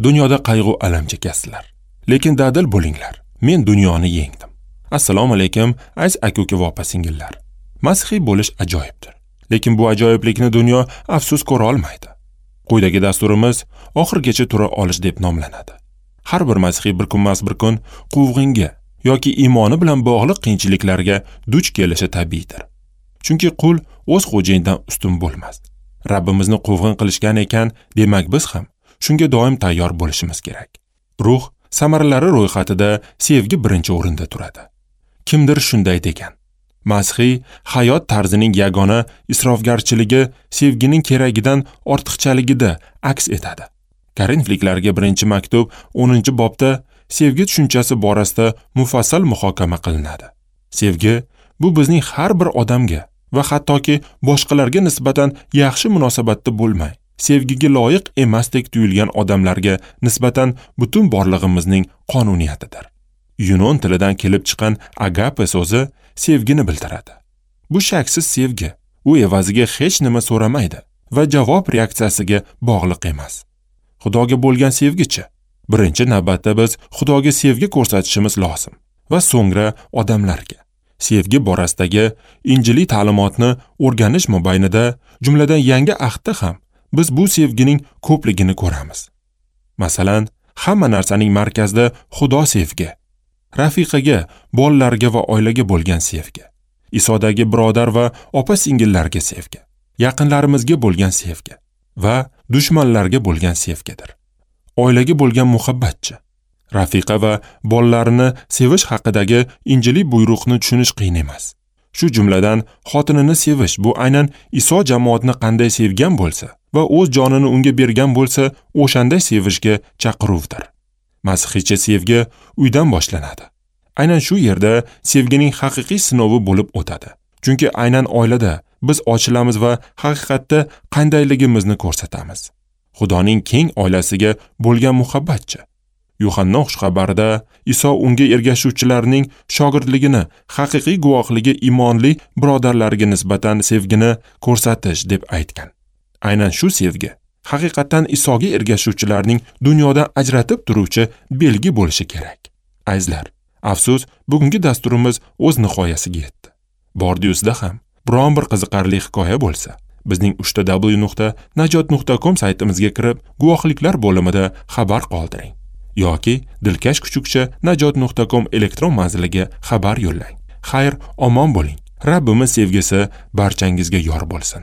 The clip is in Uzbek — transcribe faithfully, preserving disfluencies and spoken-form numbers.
Dunyoda qayg'u alam chekasizlar, lekin dadil bo'linglar. Men dunyoni yengdim. Assalomu alaykum, aziz aka-uka va opa-singillar. Masihiy bo'lish ajoyibdir. Lekin bu ajoyiblikni dunyo afsus ko'ra olmaydi. Quyidagi dasturimiz oxirigacha tura olish deb nomlanadi. Har bir masihiy bir kunmas bir kun quvg'inga yoki iymoni bilan bog'liq qiyinchiliklarga duch kelishi tabiiydir. Chunki qul o'z xo'jayinidan ustun bo'lmas. Rabbimizni quvg'in qilishgan ekan, demak biz ham shunga doim tayyor bo'lishimiz kerak. Ruh samaralari ro'yxatida sevgi birinchi o'rinda turadi. Kimdir shunday degan: Masihiy hayot tarzining yagona isrofgarchiligi sevgining keragidan ortiqchaligida aks etadi. Korinfliklarga birinchi maktub o'ninchi bobda sevgi tushunchasi borasida mufassal muhokama qilinadi. Sevgi bu bizning har bir odamga va hattoki boshqalarga nisbatan yaxshi munosabatda bo'lmay, sevgiga loyiq emasdek tuyulgan odamlarga nisbatan butun borlig'imizning qonuniyatidir. Yunon tilidan kelib chiqqan agape so'zi sevgini bildiradi. Bu shaksiz sevgi, u evaziga hech nima so'ramaydi va javob reaksiyasiga bog'liq emas. Xudoga bo'lgan sevgichi? Birinchi navbatda biz Xudoga sevgi ko'rsatishimiz lozim va so'ngra odamlarga. Sevgi borasidagi injiliy ta'limotni o'rganish mobaynida, jumladan yangi ahdda ham biz bu sevgining ko'pligini ko'ramiz. Masalan, hamma narsaning markazida Xudo sevgi, rafiqaga, bolalarga va oilaga bo'lgan sevgi, Isodagi birodar va opa-singillarga sevgi, yaqinlarimizga bo'lgan sevgi va dushmanlarga bo'lgan sevgidir. Oilaga bo'lgan muhabbatchi, rafiqa va bolalarini sevish haqidagi injiliy buyruqni tushunish qiyin emas. Shu jumladan xotinini sevish bu aynan Iso jamoatni qanday sevgan bo'lsa va o'z jonini unga bergan bo'lsa, o'shanday sevishga chaqiruvdir. Masihiycha sevgi uydan boshlanadi. Aynan shu yerda sevgining haqiqiy sinovi bo'lib o'tadi. Chunki aynan oilada biz ochilamiz va haqiqatda qandayligimizni ko'rsatamiz. Xudoning keng oilasiga bo'lgan muhabbatchi. Yuhanna xushxabarida Iso unga ergashuvchilarning shogirdligini, haqiqiy guvohligi iymonli birodarlariga nisbatan sevgini ko'rsatish deb aytgan. Aynan shu sevgi haqiqatan Isoga ergashuvchilarning dunyodan ajratib turuvchi belgi bo'lishi kerak. Azizlar, afsus, bugungi dasturimiz o'z nihoyasiga yetdi. Bordi-yuzda ham biron bir qiziqarli hikoya bo'lsa, bizning uchta w nuqta najot nuqta com saytimizga kirib, guvohliklar bo'limida xabar qoldiring yoki dilkash kuchukcha najot nuqta com elektron manziliga xabar yo'llang. Xayr, omon bo'ling. Rabbimiz sevgisi barchangizga yor bo'lsin.